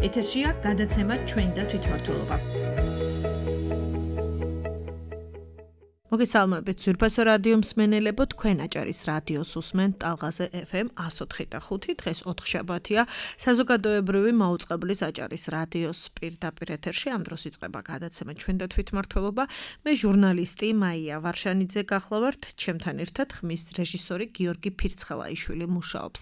ეთერშია გადაცემა ჩვენ და თვითმმართველობა. მოგესალმებით ძვირფასო რადიო მსმენელებო, თქვენ აჭარის რადიოს უსმენთ ტალღაზე FM 104.5. დღეს 4 შაბათია, საზოგადოებრივი მაუწყებლის აჭარის რადიოს პირდაპირ ეთერში. ამ დროს იწყება გადაცემა ჩვენ და თვითმმართველობა. მე ჟურნალისტი მაია ვარშანიძე გახლავართ, ჩემთან ერთად ხმის რეჟისორი გიორგი ფირცხელაიშვილი მუშაობს.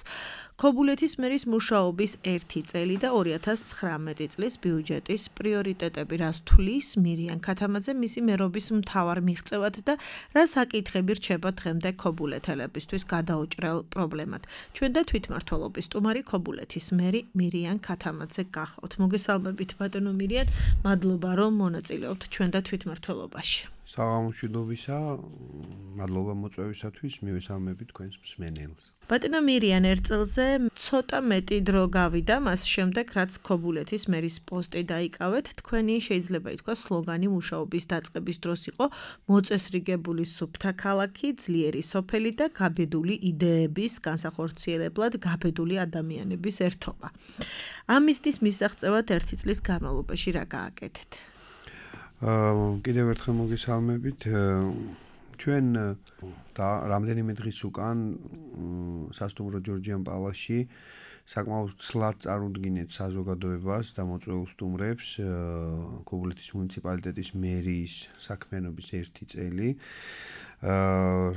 ქობულეთის მერის მუშაობის 1 წელი და 2019 წლის ბიუჯეტის პრიორიტეტები რას თulis მირიან ქათამაძე მისი მერობის მთავარ მიღწევად და რა საკითხები რჩება დღემდე ქობულეთელებისთვის გადაუჭრელ პრობლემად. ჩვენ და თვითმმართველობის სტუმარი ქობულეთის მერი მირიან ქათამაძე გახლავთ. მოგესალმებით ბატონო მირიან, მადლობა რომ მონაწილეობთ ჩვენ და თვითმმართველობაში. საღამოშიდობისა, მადლობა მოწვევისათვის, მივესალმებით თქვენს მსმენელს. ბატონო მირიან, ერთ წელზე ცოტა მეტი დრო გავიდა მას შემდეგ, რაც ქობულეთის მერის პოსტი დაიკავეთ, თქვენი შეიძლება ითქვას სლოგანი მუშაობის დაწყების დროს იყო მოწესრიგებული სუფთა ქალაქი, ძლიერი სოფელი და გაბედული იდეების განსახორციელებლად გაბედული ადამიანების ერთობა. ამ მიზნის მისაღწევად 1 წლის განმავლობაში რა გააკეთეთ? კიდევ ერთხელ მოგესალმებით. ჩვენ და რამდენიმე დღის უკან სასტუმრო ჯორჯიან პალასში საკმაოდ ცლად წარუდგინეთ საზოგადოებას და მოწვეულ სტუმრებს ქობულეთის მუნიციპალიტეტის მერის საქმიანობის 1 წელი.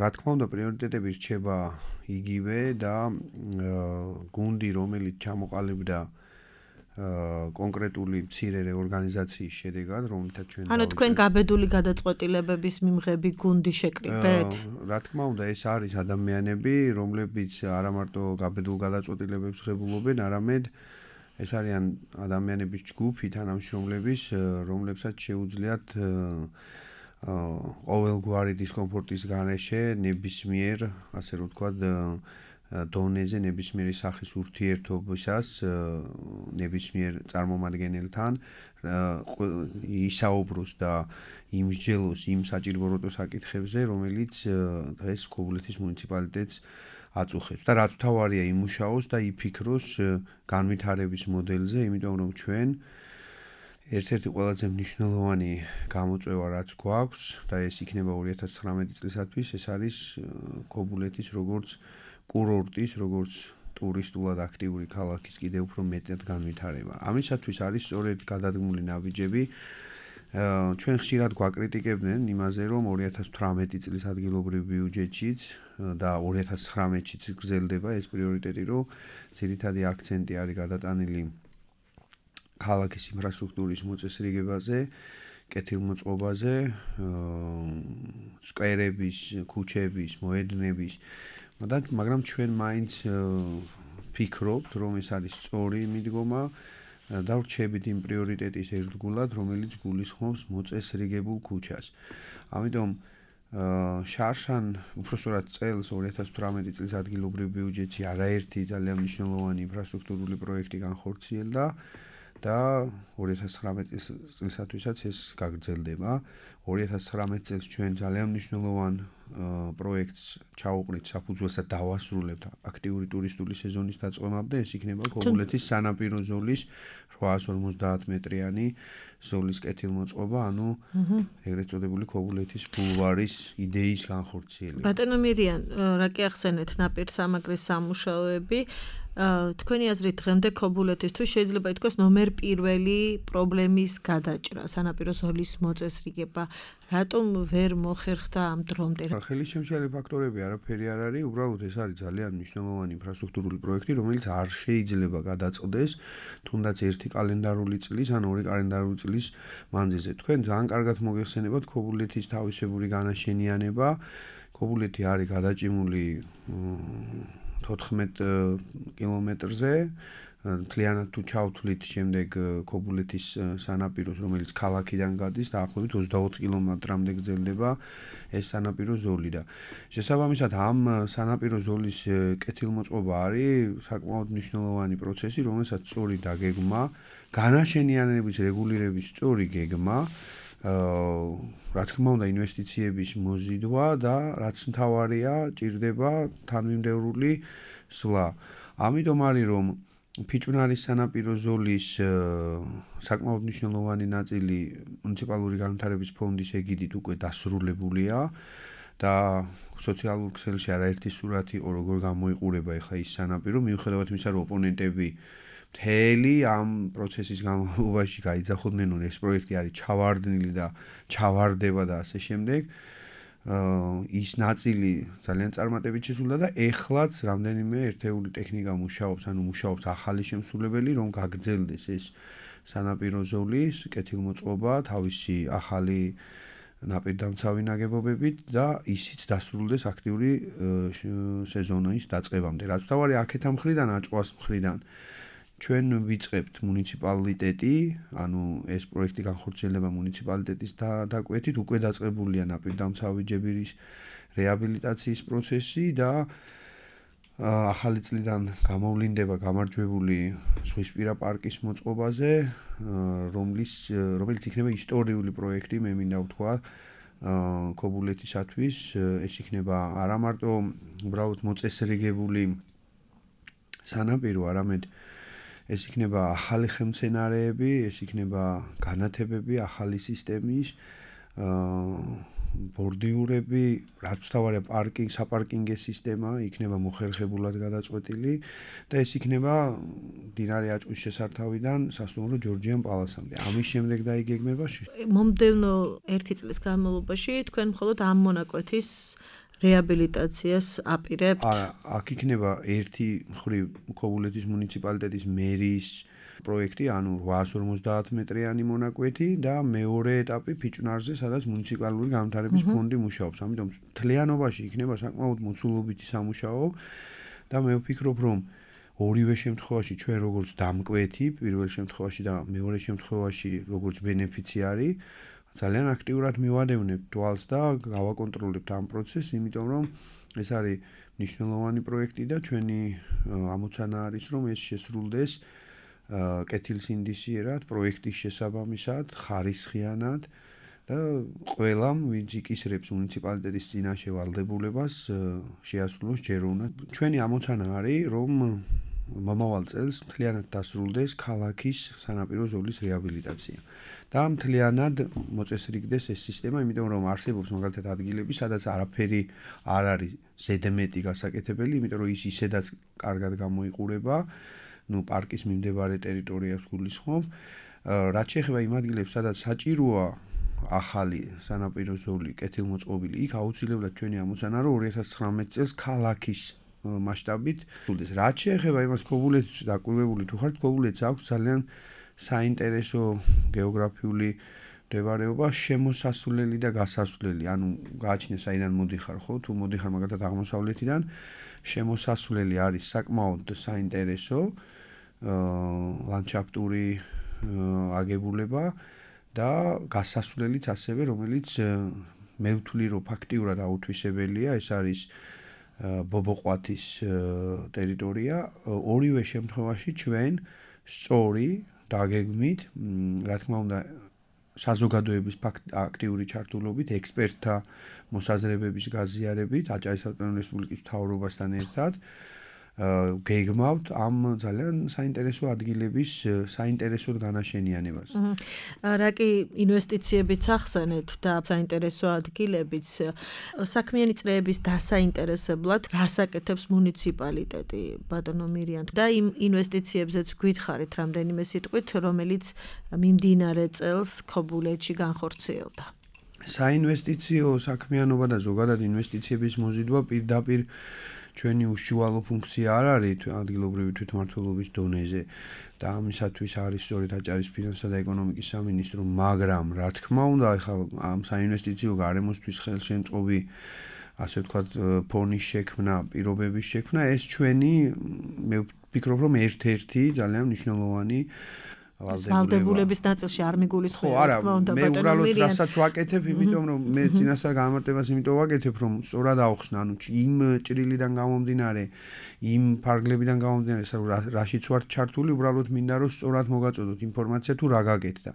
რა თქმა უნდა, პრიორიტეტები რჩება იგივე და გუნდი, რომელიც ჩამოყალიბდა კონკრეტული მცირე რეორგანიზაციის შედეგად, რომელთაც ჩვენ ანუ თქვენ გაბედული გადაწყვეტილებების მიმღები გუნდი შეკრიბეთ? რა თქმა უნდა, ეს არის ადამიანები, რომლებიც არა მარტო გაბედულ გადაწყვეტილებებს ღებულობენ, არამედ ეს არიან ადამიანების ჯგუფი, თანამშრომლების, რომლებსაც შეუძლიათ ყოველგვარი დისკომფორტის გარეშე ნებისმიერ, ასე რომ ვთქვათ, დონეზე ნებისმიერი სახის ურთიერთობისას ნებისმიერ წარმომადგენელთან ისაუბროს და იმსჯელოს იმ საჭიროებო საკითხებზე, რომელიც დღეს ქობულეთის მუნიციპალიტეტს აწუხებს და რაც თავარია იმუშაოს და იფიქროს განვითარების მოდელზე, იმიტომ რომ ჩვენ ერთ-ერთი ყველაზე მნიშვნელოვანი გამოწვევა რაც გვაქვს და ეს იქნება 2019 წლისათვის, ეს არის ქობულეთის როგორც კურორტის, როგორც ტურისტულად აქტიური ქალაქის კიდევ უფრო მეტად განვითარება. ამისათვის არის სწორედ გადადგმული ნაბიჯები. ჩვენ ხშირად გვაკრიტიკებდნენ იმაზე, რომ 2018 წლის ადგილობრივ ბიუჯეტშიც და 2019-შიც გრძელდება ეს პრიორიტეტი, რომ ძირითადი აქცენტი არის გადატანილი ქალაქის ინფრასტრუქტურის მოწესრიგებაზე, კეთილმოწყობაზე, სკვერების, ქუჩების, მოედნების, მაგრამ ჩვენ მაინც ფიქრობთ, რომ ეს არის სწორი მიდგომა და ვრჩებით იმ პრიორიტეტის ერთგულად, რომელიც გულისხმობს მოწესრიგებულ ქუჩას. ამიტომ შარშან, უпростоრად წელს 2018 წლის ადგილობრივ ბიუჯეტში არაერთი ძალიან მნიშვნელოვანი ინფრასტრუქტურული პროექტი განხორციელდა და 2019 წლისათვისაც ეს გაგრძელდება. 2019 წელს ჩვენ ძალიან მნიშვნელოვან პროექტს ჩაუყრით საფუძველს და დავასრულებთ აქტიური ტურისტული სეზონის დაწყებამდე. ეს იქნება ქობულეთის სანაპირო ზოლის 850 მეტრიანი ზოლის კეთილმოწყობა, ანუ ეგრეთ წოდებული ქობულეთის ბულვარის იდეის განხორციელება. ბატონო მირიან, რა კი ახსენეთ ნაპირსამაგრის სამუშაოები, თქვენი აზრით დღემდე ქობულეთისთვის შეიძლება ითქვას ნომერ პირველი პრობლემის გადაჭრა, სანაპირო ზოლის მოწესრიგება. რატომ ვერ მოხერხდა ამ დრომდე? ხელისშემშელი ფაქტორები არაფერი არ არის, უბრალოდ ეს არის ძალიან მნიშვნელოვანი ინფრასტრუქტურული პროექტი, რომელიც არ შეიძლება გადაწყდეს თუნდაც 1 კალენდარული წლის ან 2 კალენდარული წლის მანძილზე. თქვენ ძალიან კარგად მოგეხსენებათ ქობულეთის თავისებური განაშენიანება. ქობულეთი არის გადაჭიმული 14 კილომეტრზე, მთლიანად თუ ჩავთვლით შემდეგ ქობულეთის სანაპიროს, რომელიც ქალაქიდან გადის, დაახლოებით 24 კილომეტრამდე გრძელდება ეს სანაპირო ზოლი და შესაბამისად ამ სანაპირო ზოლის კეთილმოწყობა არის საკმაოდ მნიშვნელოვანი პროცესი, რომელსაც სწორი დაგეგმა, განაშენიანების რეგულირების სწორი გეგმა, რა თქმა უნდა ინვესტიციების მოზიდვა და რაც მთავარია, ჭირდება თანმიმდევრული სვლა. ამიტომ არის რომ ფიჭვნარის სანაპირო ზოლის საკმაოდ მნიშვნელოვანი ნაწილი მუნიციპალური განვითარების ფონდის ეგიდით უკვე დასრულებულია და სოციალურ ქსელში არაერთი სურათი იყო როგორ გამოიყურება ახლა ის სანაპირო მიუხედავად იმისა რომ ოპონენტები მთელი ამ პროცესის განმავლობაში გაიძახოდნენ რომ ეს პროექტი არის ჩავარდნილი და ჩავარდება და ასე შემდეგ ის ნაწილი ძალიან წარმატებით შესრულდა და ეხლაც რამდენიმე ერთეული ტექნიკა მუშაობს, ანუ მუშაობს ახალი შემსრულებელი, რომ გაგრძელდეს ეს სანაპირო ზოლის კეთილმოწყობა, თავისი ახალი ნაპირდამცავი ნაგებობებით და ისიც დასრულდეს აქტიური სეზონის დაწყებამდე. რაც თავარი აქეთ ამ მხრიდან აჭყვას მხრიდან ჩვენ ვიწყებთ მუნიციპალიტეტი, ანუ ეს პროექტი განხორციელდება მუნიციპალიტეტის დაკვეთით, უკვე დაწყებულია ნაპირდამცავი ჯებირის რეაბილიტაციის პროცესი და ახალი წლიდან გამოვლინდება გამარჯვებული ზღვისპირა პარკის მოწყობაზე, რომელიც იქნება ისტორიული პროექტი, მე მინდა ვთქვა, ქობულეთისათვის, ეს იქნება არა მარტო უბრალოდ მოწესრიგებული სანაპირო, არამედ ეს იქნება ახალი ხელმცენარეები, ეს იქნება განათებები, ახალი სისტემის, ბორდიურები, რაც თავარია საპარკინგე სისტემა იქნება მოხერხებულად გადაწყვეტილი და ეს იქნება მდინარე აჭვის შესართავიდან სასტუმრო ჯორჯიან პალასამდე. ამის შემდეგ დაიგეგმება მომდევნო 1 წლის განმავლობაში თქვენ მხოლოდ ამ მონაკვეთის რეაბილიტაციას აპირებთ? აქ იქნება ერთი მხრივ ქობულეთის მუნიციპალიტეტის მერის პროექტი, ანუ 850 მეტრიანი მონაკვეთი და მეორე ეტაპი ფიჭვნარზე, სადაც მუნიციპალური განვითარების ფონდი მუშაობს. ამიტომ მთლიანობაში იქნება საკმაოდ მოცულობითი სამუშაო და მე ვფიქრობ, რომ ორივე შემთხვევაში ჩვენ როგორც დამკვეთი, პირველ შემთხვევაში და მეორე შემთხვევაში როგორც ბენეფიციარი ძალიან აქტიურად მივადევნებთ თვალს და გავაკონტროლებთ ამ პროცესს, იმიტომ რომ ეს არის მნიშვნელოვანი პროექტი და ჩვენი ამოცანა არის, რომ ეს შესრულდეს კეთილსინდისიერად, პროექტის შესაბამისად, ხარისხიანად და ყველამ, ვინც იკისრებს მუნიციპალიტეტის წინაშე ვალდებულებას, შეასრულოს ჯეროვნად. ჩვენი ამოცანა არის, რომ მომავალ წელს მთლიანად დასრულდეს ქალაქის სანაპირო ზოლის რეაბილიტაცია. და მთლიანად მოწესრიგდეს ეს სისტემა, იმიტომ რომ არსებობს მაგალითად ადგილები, სადაც არაფერი არ არის ზედმეტი გასაკეთებელი, იმიტომ რომ ის ისედაც კარგად გამოიყურება, პარკის მიმდებარე ტერიტორიას გულისხმობ. რაც შეეხება იმ ადგილებს, სადაც საჭიროა ახალი სანაპირო ზოლი კეთილმოწყობილი, იქ აუცილებლად ჩვენი ამოცანა რომ 2019 წელს ქალაქის მასშტაბით სრულდეს. რაც შეეხება იმას ქობულეთს დაკვირვებული თუ ხართ, ქობულეთს აქვს ძალიან საინტერესო გეოგრაფიული მდებარეობა, შემოსასვლელი და გასასვლელი, ანუ გააჩნია საიდან მოდიხარ, ხო? თუ მოდიხარ მაგალითად აღმოსავლეთიდან, შემოსასვლელი არის საკმაოდ საინტერესო ლანდშაფტური აგებულება და გასასვლელიც ასევე, რომელიც მე ვთვლი, რომ ფაქტიურად აუთვისებელია, ეს არის ბობოყვათის ტერიტორია. ორივე შემთხვევაში ჩვენ სწორი დაგეგმით, რა თქმა უნდა, საზოგადოების აქტიური ჩართულობით, ექსპერტთა მოსაზრებების გაზიარებით, აჭარის ავტონომიური რესპუბლიკის მთავრობასთან ერთად გეგმავთ ამ ძალიან საინტერესო ადგილების საინტერესოდ განაშენიანებას. რა კი ინვესტიციებიც ახსენეთ და საინტერესო ადგილებიც, საქმიანი წრეების დასაინტერესებლად რას აკეთებს მუნიციპალიტეტი, ბატონო მირიან, და იმ ინვესტიციებზეც გითხარით რამდენიმე სიტყვით, რომელიც მიმდინარე წელს ქობულეთში განხორციელდა. საინვესტიციო საქმიანობა და ზოგადად ინვესტიციების მოზიდვა პირდაპირ ჩვენი უშუალო ფუნქცია არ არის ადგილობრივი თვითმმართველობის დონეზე და ამისათვის არის სწორედ აჭარის ფინანსთა და ეკონომიკის სამინისტრო, მაგრამ რა თქმა უნდა, ახლა ამ საინვესტიციო გარემოსთვის ხელშემწყობი, ასე ვთქვათ, ფონის შექმნა, პირობების შექმნა, ეს ჩვენი, მე ვფიქრობ, რომ ერთ-ერთი ძალიან მნიშვნელოვანი ვალდებულების ნაწილში არ მიგულისხმება, რა თქმა უნდა, მე უბრალოდ რასაც ვაკეთებ, იმიტომ რომ მე წინასწარ გამარტებას იმიტომ ვაკეთებ, რომ სწორად ავხსნა, ანუ იმ ჭრილიდან გამომდინარე, იმ ფარგლებიდან გამომდინარე, რაშიც ვარ ჩართული, უბრალოდ მინდა რომ სწორად მოგაწოდოთ ინფორმაცია თუ რა გაკეთდა.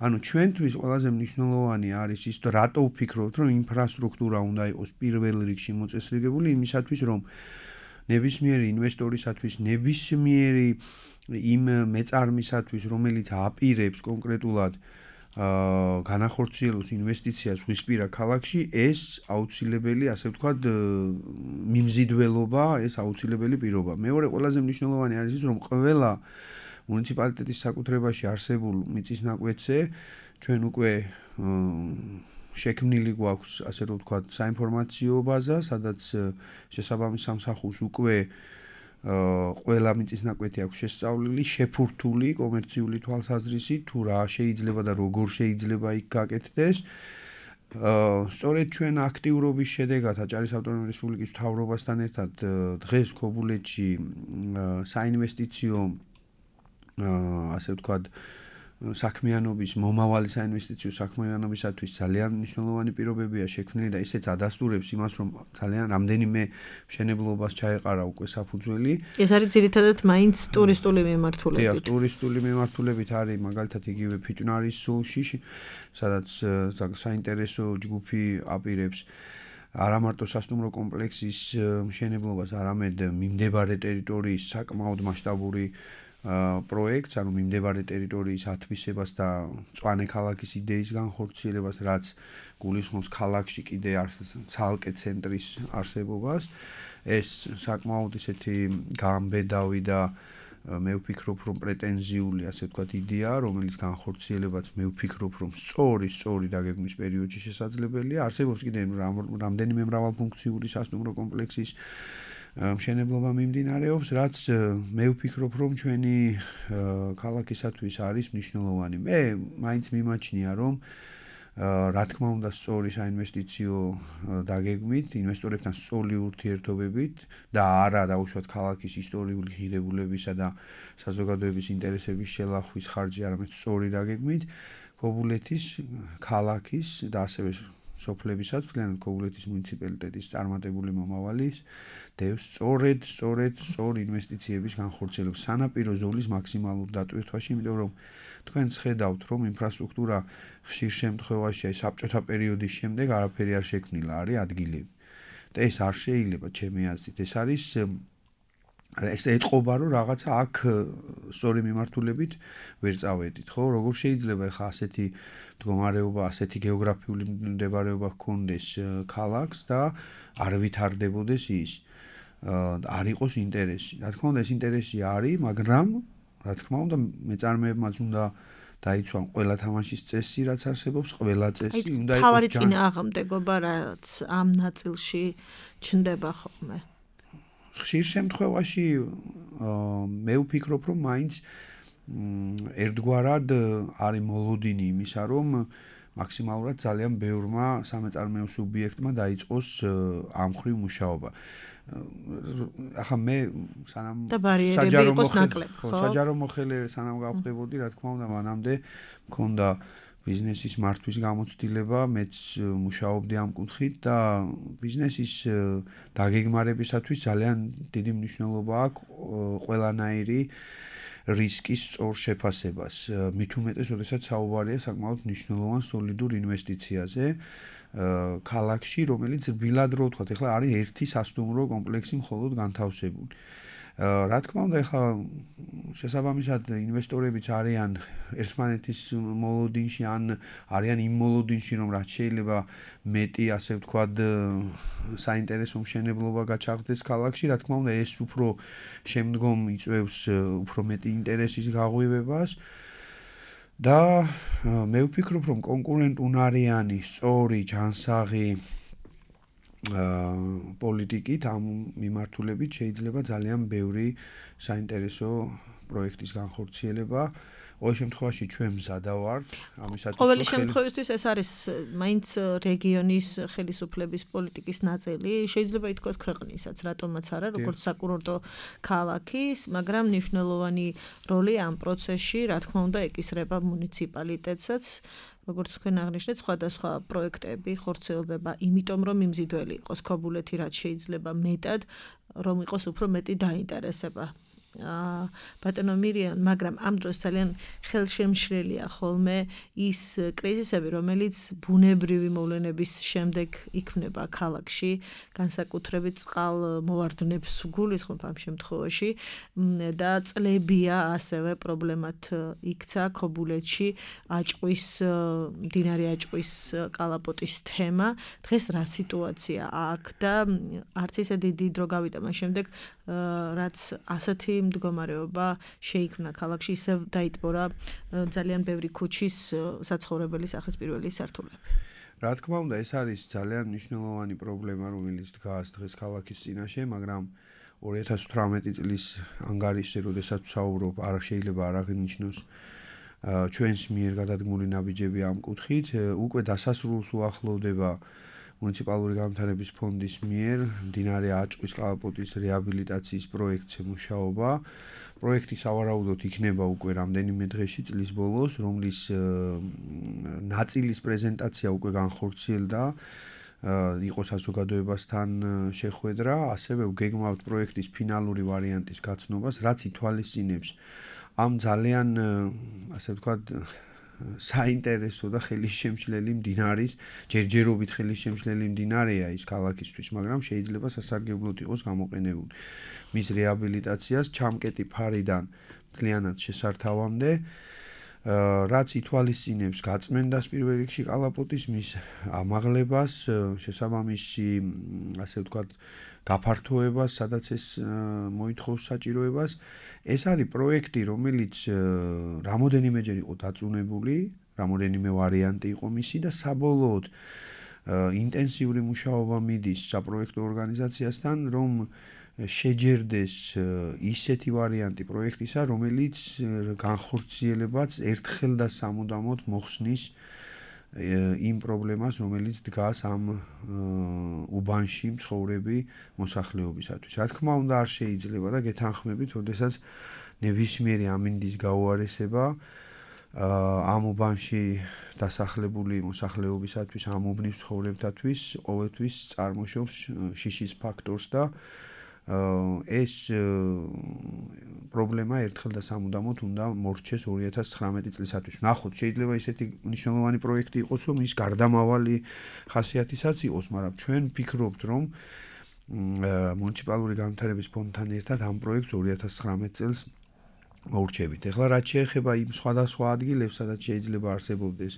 ანუ ჩვენთვის ყველაზე მნიშვნელოვანი არის ის, რატო ვფიქრობთ, რომ ინფრასტრუქტურა უნდა იყოს პირველ რიგში მოწესრიგებული იმისათვის, რომ ნებისმიერი ინვესტორისათვის, ნებისმიერი იმ მეწარმისათვის, რომელიც აპირებს კონკრეტულად განახორციელოს ინვესტიციას ზღვისპირა ქალაქში, ეს აუცილებელი, ასე ვთქვათ, მიმზიდველობა, ეს აუცილებელი პირობა. მეორე ყველაზე მნიშვნელოვანი არის ის, რომ ყველა მუნიციპალიტეტის საკუთრებაში არსებულ მიწის ნაკვეთზე ჩვენ უკვე შექმნილი გვაქვს, ასე რომ ვთქვათ, საინფორმაციო ბაზა, სადაც შესაბამის სამსახურს უკვე ყველა მიწის ნაკვეთი აქვს შესწავლილი, შეფურთული კომერციული თვალსაზრისით, თუ რა შეიძლება და როგორ შეიძლება იქ გაკეთდეს. სწორედ ჩვენ აქტიურობის შედეგად აჭარის ავტონომიური რესპუბლიკის მთავრობასთან ერთად დღეს ქობულეთში საინვესტიციო ასე ვთქვათ საქმიანობის მომავალი საინვესტიციო საქმიანობისათვის ძალიან მნიშვნელოვანი პირობებია შექმნილი და ესეც ადასტურებს იმას, რომ ძალიან რამდენიმე მშენებლობას ჩაეყარა უკვე საფუძველი. ეს არის ძირითადად მაინც ტურისტული მიმართულებით. დიახ, ტურისტული მიმართულებით არის მაგალითად იგივე ფიჭვნარის სულში, სადაც საინტერესო ჯგუფი აპირებს არა მარტო სასტუმრო კომპლექსის მშენებლობას, არამედ მიმდებარე ტერიტორიის საკმაოდ მასშტაბური პროექტს, ანუ მიმდებარე ტერიტორიის ათვისებას და მწვანე ქალაქის იდეის განხორციელებას, რაც გულისხმობს ქალაქში კიდე ცალკე ცენტრის არსებობას. ეს საკმაოდ ისეთი გამბედავი და მე ვფიქრობ, რომ პრეტენზიული, ასე ვთქვათ, იდეა, რომელიც განხორციელებაც მე ვფიქრობ, რომ სწორი დაგეგმვის პერიოდში შესაძლებელია. არსებობს კიდე რამდენიმე მრავალფუნქციური სასტუმრო კომპლექსის მშენებლობა მიმდინარეობს, რაც მე ვფიქრობ, რომ ჩვენი ქალაქისათვის არის მნიშვნელოვანი. მე მაინც მიმაჩნია, რომ რა თქმა უნდა სწორი საინვესტიციო დაგეგმით, ინვესტორებთან სწორი ურთიერთობებით და არა დაუშვათ ქალაქის ისტორიული ღირებულებისა და საზოგადოების ინტერესების შელახვის ხარჯი, არამედ სწორი დაგეგმით ქობულეთის ქალაქის და ასევე სოფლებისაც, მთლიანად ქობულეთის მუნიციპალიტეტის წარმატებული მომავალის დევს სწორ ინვესტიციების განხორციელებას სანაპირო ზოლის მაქსიმალურ დატვირთვაში, იმიტომ რომ თქვენ ხედავთ, რომ ინფრასტრუქტურა ხშირ შემთხვევაში აი საბჭოთა პერიოდის შემდეგ არაფერი არ შექმნილა, არის ადგილები. და ეს არ შეიძლება ჩემი აზრით. ეს ეტყობა, რომ რაღაცა აქ სწორი მიმართულებით ვერ წავედით, ხო? როგორ შეიძლება ახლა ასეთი მდგომარეობა, ასეთი გეოგრაფიული მდებარეობა ჰქონდეს ქალაქს და არ ვითარდებოდეს ის. არ იყოს ინტერესი. რა თქმა უნდა, ეს ინტერესი არის, მაგრამ რა თქმა უნდა, მეწარმეებმაც უნდა დაიცვან ყველა თამაშის წესი, რაც არსებობს, ყველა წესი უნდა იყოს. თავარი წინააღმდეგობა, რაც ამ ნაწილში ჩნდება ხოლმე. ხშირ შემთხვევაში მე ვფიქრობ, რომ მაინც ერთგვარად არის მოლოდინი იმისა, რომ მაქსიმალურად ძალიან ბევრმა სამეწარმეო სუბიექტმა დაიწყოს ამ მხრივ მუშაობა. ახლა მე სანამ საჯარო მოხელე სანამ გავხდებოდი, რა თქმა უნდა, მანამდე მქონდა ბიზნესის მართვის გამოცდილება, მეც მუშაობდი ამ კუთხით და ბიზნესის დაგეგმარებისათვის ძალიან დიდი მნიშვნელობა აქვს ყველანაირი რისკის სწორ შეფასებას. მით უმეტეს, როდესაც საუბარია საკმაოდ მნიშვნელოვან სოლიდურ ინვესტიციაზე ქალაქში, რომელიც რბილად რო ვთქვათ, ეხლა არის ერთი სასტუმრო კომპლექსი მხოლოდ განთავსებული. რა თქმა უნდა, ეხლა შესაბამისად ინვესტორებიც არიან ერთმანეთის მოლოდინში, ან არიან იმ მოლოდინში, რომ რაც შეიძლება მეტი, ასე ვთქვათ, საინტერესო მშენებლობა გაჩაღდეს ქალაქში. რა თქმა უნდა, ეს უფრო შემდგომ იწვევს უფრო მეტი ინტერესის გაღვივებას. და მე ვფიქრობ, რომ კონკურენტუნარიანი, სწორი, ჯანსაღი პოლიტიკით ამ მიმართულებით შეიძლება ძალიან ბევრი საინტერესო პროექტის განხორციელება. ყოველ შემთხვევაში ჩვენ მზადა ვართ ამისათვის. ყოველი შემთხვევისთვის ეს არის მაინც რეგიონის ხელისუფლების პოლიტიკის ნაწილი. შეიძლება ითქვას ქვეყნისაც, რატომაც არა, როგორც საკურორტო ქალაქის, მაგრამ მნიშვნელოვანი როლი ამ პროცესში, რა თქმა უნდა, ეკისრება მუნიციპალიტეტსაც. როგორც თქვენ აღნიშნეთ, სხვადასხვა პროექტები ხორციელდება, იმიტომ რომ მიმზიდველი იყოს ქობულეთი, რაც შეიძლება მეტად, რომ იყოს უფრო მეტი დაინტერესება ბატონო მირიან, მაგრამ ამ დროს ძალიან ხელშემშლელია ხოლმე ის კრიზისები, რომელიც ბუნებრივი მოვლენების შემდეგ იქმნება ქალაქში, განსაკუთრებით წყალმოვარდნებს გულისხმობ ამ შემთხვევაში და წლებია ასევე პრობლემად იქცა ქობულეთში მდინარე აჭყვის კალაპოტის თემა. დღეს რა სიტუაცია აქ და არც ისე დიდი დრო გავიდა მას შემდეგ, რაც ასეთი მდგომარეობა შეიქმნა ქალაქში, ისევ დაიტბორა ძალიან ბევრი ქუჩის საცხოვრებელი სახლის პირველი სართულები. რა თქმა უნდა, ეს არის ძალიან მნიშვნელოვანი პრობლემა, რომელიც დგას დღეს ქალაქის წინაშე, მაგრამ 2018 წლის ანგარიშზე, როდესაც ვსაუბრობ, არ შეიძლება არ აღინიშნოს ჩვენს მიერ გადადგმული ნაბიჯები ამ კუთხით, უკვე დასასრულს უახლოვდება მუნიციპალური განვითარების ფონდის მიერ მდინარე აჭყვის კალაპოტის რეაბილიტაციის პროექტზე მუშაობა. პროექტი სავარაუდოდ იქნება უკვე რამდენიმე დღეში წლის ბოლოს, რომლის ნაწილის პრეზენტაცია უკვე განხორციელდა, იყო საზოგადოებასთან შეხვედრა, ასევე ვგეგმავთ პროექტის ფინალური ვარიანტის გაცნობას, რაც ითვალისწინებს ამ ძალიან, ასე ვთქვათ, საინტერესო და ხელისშემშლელი მდინარის, ჯერჯერობით ხელისშემშლელი მდინარეა ის ქალაქისთვის, მაგრამ შეიძლება სასარგებლოდ იყოს გამოყენებული. მის რეაბილიტაციას ჩამკეტი ფარიდან მთლიანად შესართავამდე, რაც ითვალისწინებს გაწმენდას პირველ რიგში კალაპოტის, მის ამაღლებას, შესაბამისი, ასე ვთქვათ, გაფართოებას, სადაც ეს მოითხოვს საჭიროებას. ეს არის პროექტი, რომელიც რამოდენიმეჯერ იყო დაწუნებული, რამოდენიმე ვარიანტი იყო მისი და საბოლოოდ ინტენსიური მუშაობა მიდის საპროექტო ორგანიზაციასთან, რომ შეჯერდეს ისეთი ვარიანტი პროექტისა, რომელიც განხორციელებაც ერთხელ და სამუდამოდ მოხსნის იმ პრობლემას, რომელიც დგას ამ უბანში მცხოვრები მოსახლეობისათვის. რა თქმა უნდა, არ შეიძლება და გეთანხმებით, როდესაც ნებისმიერი ამინდის გაუარესება ამ უბანში დასახლებული მოსახლეობისათვის, ამ უბნის მცხოვრებთათვის ყოველთვის წარმოშობს შიშის ფაქტორს და ეს პრობლემა ერთხელ და სამუდამოდ უნდა მორჩეს 2019 წლისათვის. ნახოთ, შეიძლება ისეთი მნიშვნელოვანი პროექტი იყოს, რომ ის გარდამავალი ხასიათისაც იყოს, მაგრამ ჩვენ ვფიქრობთ, რომ მუნიციპალური განვითარების ფონდთან ერთად ამ პროექტს 2019 წელს მოურჩებით. ეხლა რაც შეეხება იმ სხვადასხვა ადგილებს, სადაც შეიძლება არსებობდეს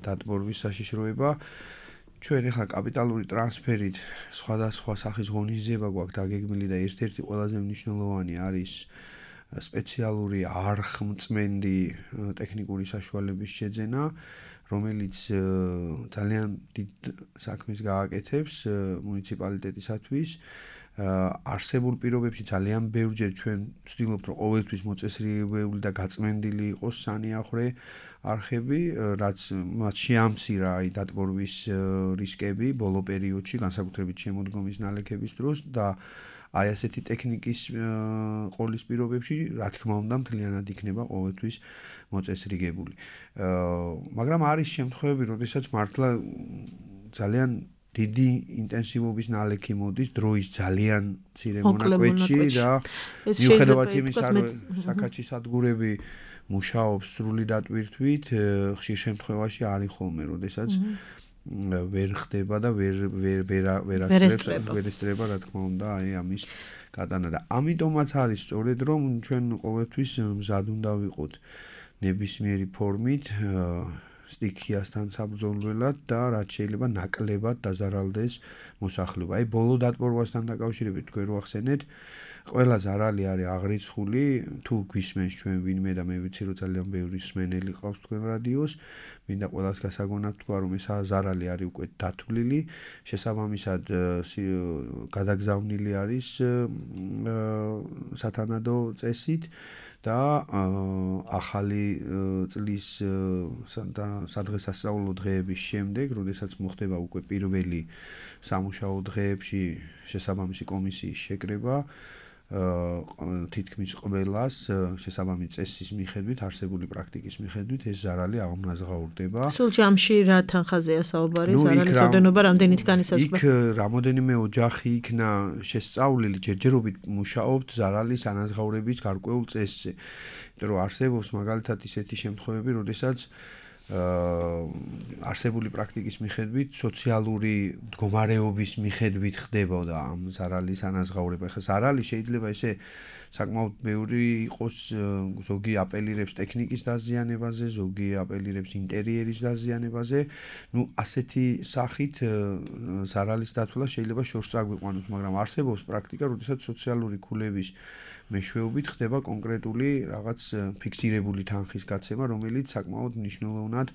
დატბორვის საშიშროება, ჩვენ ახლა კაპიტალური ტრანსფერით სხვადასხვა სახის ღონისძიება გვაქვს დაგეგმილი და ერთ-ერთი ყველაზე მნიშვნელოვანი არის სპეციალური არხმწმენდი ტექნიკური საშუალების შეძენა, რომელიც ძალიან დიდ საქმეს გააკეთებს მუნიციპალიტეტისათვის. არსებულ პირობებში ძალიან ბევრჯერ ჩვენ ვცდილობთ, რომ ყოველთვის მოწესრიგებული და გაწმენდილი იყოს სანიახრე არხები, რაც მათ შეამცირა დატბორვის რისკები ბოლო პერიოდში, განსაკუთრებით შემოდგომის ნალექების დროს და აი ასეთი ტექნიკის ყოლის პირობებში, რა თქმა უნდა, მთლიანად იქნება ყოველთვის მოწესრიგებული. მაგრამ არის შემთხვევები, როდესაც მართლა ძალიან დიდი ინტენსივობის ნალექი მოდის დროის ძალიან მცირე მონაკვეთში და მიუხედავად იმისა, რომ საკაჩის სადგურები მუშაობს სრული დატვირთვით, ხშირ შემთხვევაში არის ხოლმე, როდესაც ვერ ხდება და ვერ ესწრება, რა თქმა უნდა, აი ამის გატანა და ამიტომაც არის სწორედ, რომ ჩვენ ყოველთვის მზად უნდა ვიყოთ ნებისმიერი ფორმით სტიქიასთან საბრძოლველად და რაც შეიძლება ნაკლებად დაზარალდეს მოსახლეობა. აი ბოლო დატბორვასთან დაკავშირებით თქვენ რო ახსენეთ, ყველა ზარალი არის აღრიცხული, თუ გვისმენს ჩვენ ვინმე და მე ვიცი რომ ძალიან ბევრი მსმენელი ყავს თქვენ რადიოს, მინდა ყველას გასაგონად თქვა რომ ეს ზარალი არის უკვე დათვლილი, შესაბამისად გადაგზავნილი არის სათანადო წესით და ახალი წლის სადღესასწაულო დღეების შემდეგ, როდესაც მოხდება უკვე პირველი სამუშაო დღეებში შესაბამისი კომისიის შეკრება, თითქმის ყველას შესაბამის წესის მიხედვით, არსებული პრაქტიკის მიხედვით ეს ზარალი აღმნაზღაურდება. სულ ჯამში რა თანხაზეა საუბარი, ზარალის ოდენობა რამდენი თქანი საზღვრა? იქ რამოდენიმე ოჯახი იქნა შესწავლილი, ჯერჯერობით მუშაობთ ზარალის ანაზღაურების გარკვეულ წესზე. იმიტომ რომ არსებობს მაგალითად ისეთი შემთხვევები, როდესაც არსებული პრაქტიკის მიხედვით, სოციალური მდგომარეობის მიხედვით ხდებოდა ამ ზარალის ანაზღაურება. ხა ზარალი შეიძლება ესე საკმაოდ ბევრი იყოს, ზოგი აპელირებს ტექნიკის დაზიანებაზე, ზოგი აპელირებს ინტერიერის დაზიანებაზე. ასეთი სახით ზარალის დათვლა შეიძლება შორს წაგვიყვანოს, მაგრამ არსებობს პრაქტიკა, როდესაც სოციალური ქულების მეშვეობით ხდება კონკრეტული რაღაც ფიქსირებული თანხის გაცემა, რომელიც საკმაოდ მნიშვნელოვნად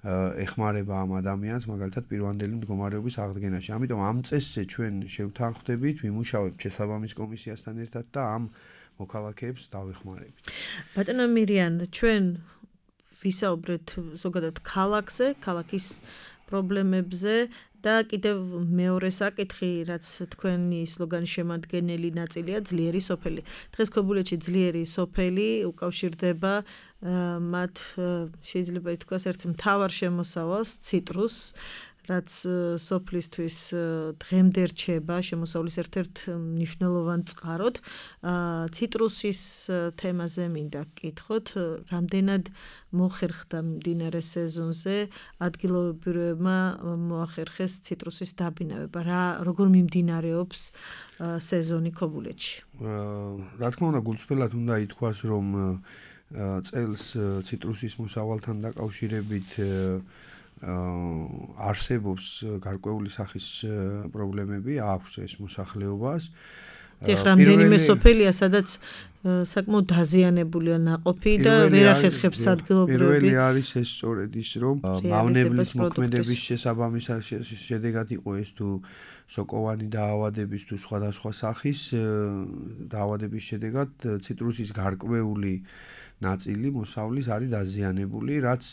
ეხმარება ამ ადამიანს, მაგალითად პირვანდელი მდგომარეობის აღდგენაში. ამიტომ ამ წესზე ჩვენ შევთანხმდებით, ვიმუშავებთ შესაბამის კომისიასთან ერთად და ამ მოქალაქეებს დავეხმარებით. ბატონო მირიან, ჩვენ ვისაუბრეთ ზოგადად ქალაქზე, ქალაქის პრობლემებზე და კიდევ მეორე საკითხი, რაც თქვენი სლოგანის შემადგენელი ნაწილია, ძლიერი სოფელი. დღეს ქობულეთში ძლიერი სოფელი უკავშირდება მათ შეიძლება ითქვას ერთ მთავარ შემოსავალს, ციტრუსს, რაც სოფლისთვის დღემდე რჩება შემოსავლის ერთ-ერთ მნიშვნელოვან წყაროდ. ციტრუსის თემაზე მინდა გკითხოთ, რამდენად მოხერხდა მდინარე სეზონზე ადგილობრივებმა მოახერხეს ციტრუსის დაბინავება, როგორ მიმდინარეობს სეზონი ქობულეთში? რა თქმა უნდა, გულწრფელად უნდა ითქვას, რომ წელს ციტრუსის მოსავალთან დაკავშირებით არსებობს გარკვეული სახის პრობლემები, აქვს ეს მოსახლეობას. ეხლა რამდენიმე სოფელია, სადაც საკმაოდ დაზიანებულია ნაყოფი და ვერ ახერხებს ადგილობრივები. პირველი არის ეს სწორედ ის, რომ მავნებლის მოქმედების შესაბამისად შედეგად იყო ეს თუ სოკოვანი დაავადების თუ სხვადასხვა სახის დაავადების შედეგად ციტრუსის გარკვეული ნაწილი მოსავლის არის დაზიანებული, რაც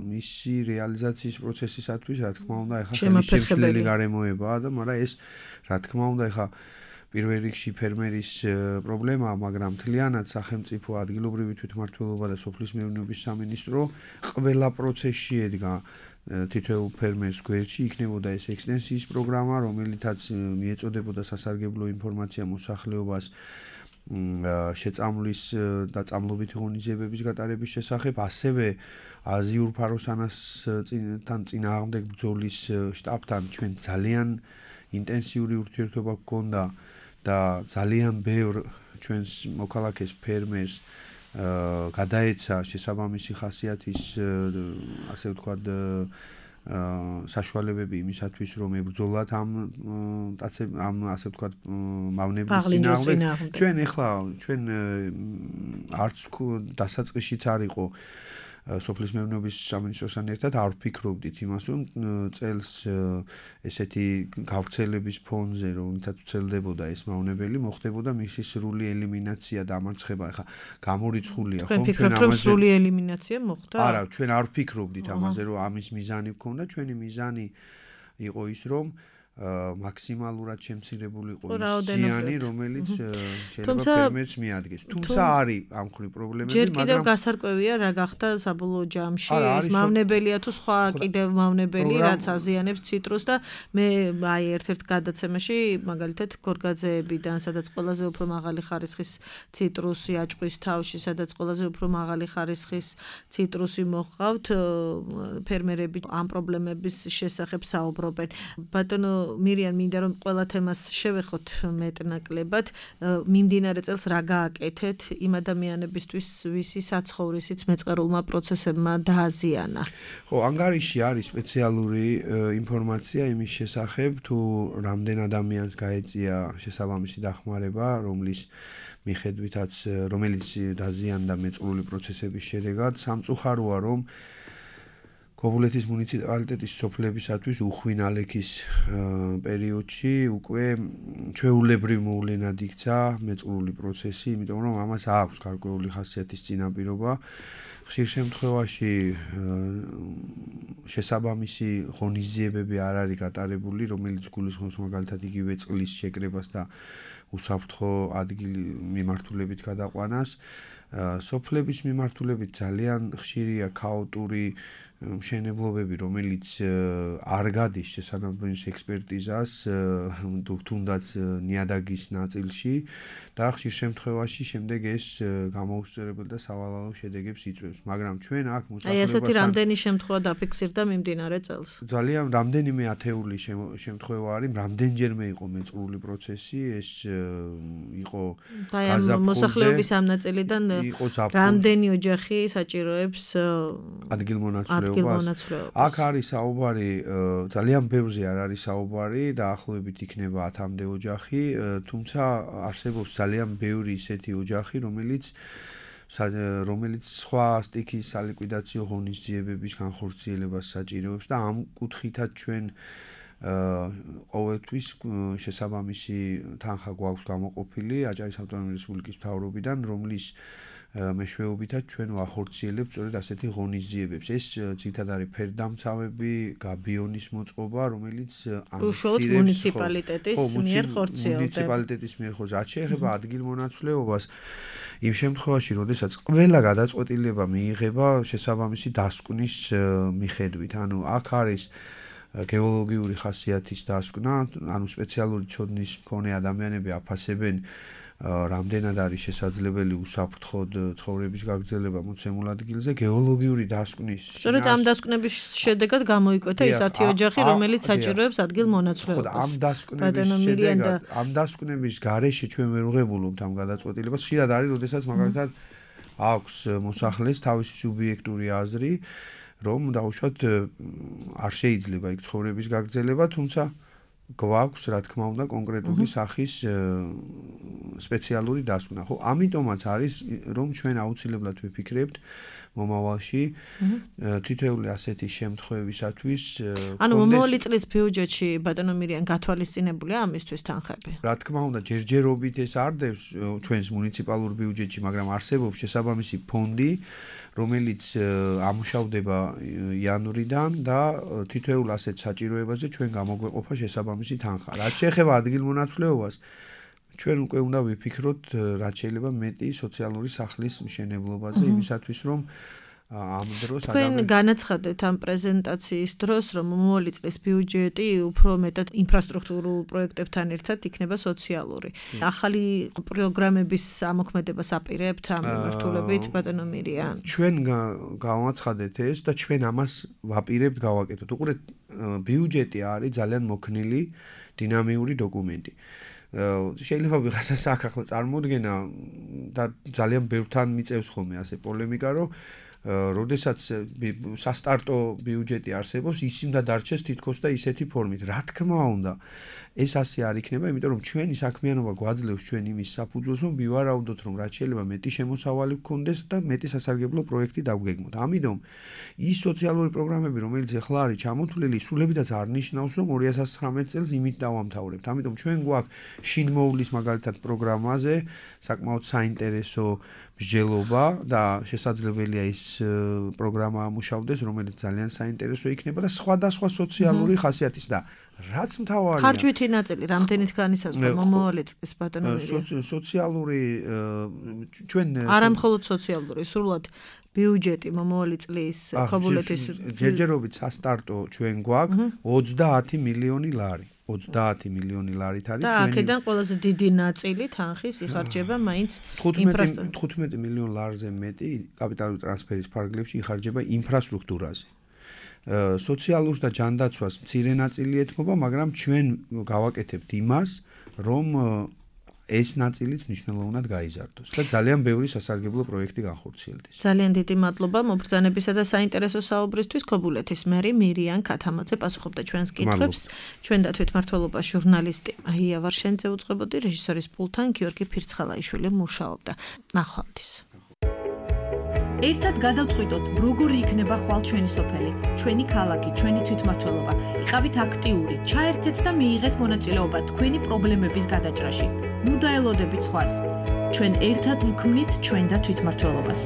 მისი რეალიზაციის პროცესისათვის, რა თქმა უნდა, ეხლა შემსვლელი გარემოებაა და მაგრამ ეს, რა თქმა უნდა, ეხლა პირველ რიგში ფერმერის პრობლემაა, მაგრამ მთლიანად სახელმწიფო ადგილობრივი თვითმმართველობა და სოფლის მეურნეობის სამინისტრო ყველა პროცესში ედგა თითოეულ ფერმერს გვერდში, იქნებოდა ეს ექსტენსიის პროგრამა, რომელითაც მიეწოდებოდა სასარგებლო ინფორმაცია მოსახლეობას შეწამლის და წამლობითი ღონისძიებების გატარების შესახებ, ასევე აზიურ ფაროსანასთან წინააღმდეგ ბრძოლის შტაბთან ჩვენ ძალიან ინტენსიური ურთიერთობა გქონდა და ძალიან ბევრ ჩვენს მოქალაქეს ფერმერს გადაეცა შესაბამისი ხასიათის ასე ვთქვათ საშუალებები იმისათვის რომ ებრძოლათ ამ ასე ვთქვათ მავნებლის წინააღმდეგ. ჩვენ ეხლა არც დასაწყისშიც არ იყო სოფლის მეურნეობის სამინისტროსთან ერთად არ ვფიქრობდით იმას, რომ წელს ესეთი გავრცელების ფონზე, რომელთაც ვრცელდებოდა ეს მავნებელი, მოხდებოდა მისი სრული ელიმინაცია და ამარცხება. ახლა გამორიცხულია ხომ ჩვენ ამაზე სრული ელიმინაცია მოხდა? არა, ჩვენ არ ვფიქრობდით ამაზე, რომ ამის მიზანი გქონდა. ჩვენი მიზანი იყო ის, რომ მაქსიმალურად შემცირებულიყო ის ზიანი, რომელიც შეიძლება ფერმერს მიადგეს. თუმცა არის ამ ხრი პრობლემები, მაგრამ ჯერ კიდევ გასარკვევია რა გახდა საბოლოო ჯამში, ეს მავნებელია თუ სხვა კიდევ მავნებელი, რაც აზიანებს ციტრუსს და მე აი ერთ-ერთ გადაცემაში მაგალითად გორგაძეებიდან, სადაც ყველაზე უფრო მაღალი ხარისხის ციტრუსი აჭყვის თავში, სადაც ყველაზე უფრო მაღალი ხარისხის ციტრუსი მოჰყავთ, ფერმერები ამ პრობლემების შესახებ საუბრობენ. ბატონო მირიან, მინდა რომ ყველა თემას შევეხოთ მეტნაკლებად. მიმდინარე წელს რა გააკეთეთ იმ ადამიანებისთვის, ვისი საცხოვრისიც მეწყერულმა პროცესებმა დააზიანა? ხო, ანგარიში არის სპეციალური ინფორმაცია იმის შესახებ, თუ რამდენ ადამიანს გაეწია შესაბამისი დახმარება, რომელიც დაზიანდა მეწყრული პროცესების შედეგად. სამწუხაროა, რომ ქობულეთის მუნიციპალიტეტის სოფლებისათვის უხვინ ალექის პერიოდში უკვე ჩვეულებრივ მოვლენად იქცა მეწყრული პროცესი, იმიტომ რომ ამას აქვს გარკვეული ხასიათის წინაპირობა. ხშირ შემთხვევაში შესაბამისი ღონისძიებები არ არის გატარებული, რომელიც გულისხმობს მაგალითად იგივე წყლის შეკრებას და უსაფრთხო ადგილი მიმართულებით გადაყვანას. სოფლების მიმართულებით ძალიან ხშირია ქაოტური მშენებლობები, რომელიც არ გადის შესაბამის ექსპერტიზას, თუნდაც ნიადაგის ნაწილში და ხშირ შემთხვევაში შემდეგ ეს გამოუსწორებელი და სავალალო შედეგებს იწვევს. მაგრამ ჩვენ აქ აი ასეთი რამდენი შემთხვევა დაფიქსირდა მიმდინარე წელს? ძალიან რამდენიმე ათეული შემთხვევა არის, რამდენჯერმე იყო მეწყრული პროცესი, ეს იყო მოსახლეობის ამ ნაწილიდან რამდენი ოჯახი საჭიროებს ადგილმონაცვლეობას. აქ არის საუბარი, ძალიან ბევრზე არ არის საუბარი, დაახლოებით იქნება 10-მდე ოჯახი, თუმცა არსებობს ძალიან ბევრი ისეთი ოჯახი, რომელიც სხვა სტიქის სალიკვიდაციო ღონისძიებების განხორციელებას საჭიროებს და ამ კუთხითაც ჩვენ ყოველთვის შესაბამისი თანხა გვაქვს გამოყოფილი აჭარის ავტონომიური რესპუბლიკის მთავრობიდან, რომლის მეშვეობითაც ჩვენ ვახორციელებთ სწორედ ასეთი ღონისძიებებს. ეს ძირითადად არის ფერდამცავები, გაბიონის მოწყობა, რომელიც უშუალოდ მუნიციპალიტეტის მიერ ხორციელდება. მუნიციპალიტეტის მიერ ხორციელდება. რაც შეეხება ადგილმონაცვლეობას, იმ შემთხვევაში, როდესაც ყველა გადაწყვეტილება მიიღება შესაბამისი დასკვნის მიხედვით. ანუ აქ არის გეოლოგიური ხასიათის დასკვნა, ანუ სპეციალური ცოდნის მქონე ადამიანები აფასებენ რამდენად არის შესაძლებელი უსაფრთხოდ ცხოვრების გაგრძელება მოცემულ ადგილზე, გეოლოგიური დასკვნის. სწორედ ამ დასკვნების შედეგად გამოიკვეთა ის 10 ოჯახი, რომელიც საჭიროებს ადგილმონაცვლეობას. ამ დასკვნების გარეშე ჩვენ ვერ ვღებულობთ ამ გადაწყვეტილებას. ხშირად არის, როდესაც მაგალითად აქვს მოსახლეს თავისი სუბიექტური აზრი, რომ დაუშვათ არ შეიძლება იქ ცხოვრების გაგრძელება, თუმცა გვაქვს, რა თქმა უნდა, კონკრეტული სახის სპეციალური დასკვნა. ხო, ამიტომაც არის, რომ ჩვენ აუცილებლად ვიფიქრებთ მომავალში თითოეული ასეთი შემთხვევისათვის. ანუ მომავალი წლის ბიუჯეტში ბატონო მირიან გათვალისწინებულია ამისთვის თანხები? რა თქმა უნდა, ჯერჯერობით ეს არ დევს ჩვენს მუნიციპალურ ბიუჯეტში, მაგრამ არსებობს შესაბამისი ფონდი, რომელიც ამუშავდება იანვრიდან და თითოეულ ასეთ საჭიროებაზე ჩვენ გამოგვეყოფა შესაბამისი თანხა. რაც შეეხება ადგილმონაცვლეობას, ჩვენ უკვე უნდა ვიფიქროთ, რაც შეიძლება მეტი სოციალური სახლის მშენებლობაზე, იმისათვის რომ ამ დროს თქვენ განაცხადეთ ამ პრეზენტაციის დროს, რომ მომავალი წლის ბიუჯეტი უფრო მეტად ინფრასტრუქტურულ პროექტებთან ერთად იქნება სოციალური. ახალი პროგრამების ამოქმედებას აპირებთ ამ მიმართულებით, ბატონო მირიან? ჩვენ გავაცხადეთ ეს და ჩვენ ამას ვაპირებთ გავაკეთოთ. უყურეთ, ბიუჯეტი არის ძალიან მოქნილი, დინამიური დოკუმენტი. შეიძლება ვიღაცას აქ ახლა წარმოუდგენა და ძალიან ბევრთან მიწევს ხოლმე ასე პოლემიკა, რომ როდესაც სასტარტო ბიუჯეტი არსებობს, ის უნდა დარჩეს თითქოს და ისეთი ფორმით. რა თქმა უნდა, ეს ასე არ იქნება, იმიტომ რომ ჩვენი საქმიანობა გვაძლევს ჩვენ იმის საფუძველს, რომ ვივარაუდოთ, რომ რაც შეიძლება მეტი შემოსავალი გქონდეს და მეტი სასარგებლო პროექტი დაგვგეგმოთ. ამიტომ ის სოციალური პროგრამები, რომელიც ახლა არის ჩამოთვლილი, სულებითაც არ ნიშნავს, რომ 2019 წელს იმით დავამთავრებთ. ამიტომ ჩვენ გვაქვს შინმოვლის მაგალითად პროგრამაზე საკმაოდ საინტერესო მსჯელობა და შესაძლებელია ის პროგრამა ამუშავდეს, რომელიც ძალიან საინტერესო იქნება და სხვადასხვა სოციალური ხასიათის და რაც მთავარია ხარჯვითი ნაწილი რამდენით განისაზღვრა მომავალი წლის ბატონო მირიან? სოციალური ჩვენ არა მხოლოდ სოციალური, სრულად ბიუჯეტი მომავალი წლის ხობულეთის ჯერჯერობით სასტარტო ჩვენ გვაქვს 30 მილიონი ლარი. 30 მილიონი ლარით არის ჩვენი და აქედან ყველაზე დიდი ნაწილი თანხის იხარჯება მაინც 15 მილიონ ლარზე მეტი კაპიტალური ტრანსფერის ფარგლებში იხარჯება ინფრასტრუქტურაზე. სოციალურს და ჯანდაცვას მცირე ნაწილი ეთმობა, მაგრამ ჩვენ გავაკეთებთ იმას, რომ ეს ნაწილიც მნიშვნელოვნად გაიზარდოს და ძალიან ბევრი სასარგებლო პროექტი განხორციელდეს. ძალიან დიდი მადლობა მობრძანებისა და საინტერესო საუბრისთვის. ქობულეთის მერი მირიან ქათამაძე პასუხობდა ჩვენს კითხვებს. ჩვენ და თვითმმართველობის ჟურნალისტი აია ვარშენძე უწყებოდი, რეჟისორის პულტთან გიორგი ფირცხალაიშვილი მუშაობდა. ნახვამდის. ერთად გადავწყვიტოთ, როგორი იქნება ხვალ ჩვენი სოფელი, ჩვენი ქალაქი, ჩვენი თვითმმართველობა. იყავით აქტიური, ჩაერთეთ და მიიღეთ მონაწილეობა თქვენი პრობლემების გადაჭრაში. ნუ დაელოდებით სხვას. ჩვენ ერთად ვქმნით ჩვენ და თვითმმართველობას.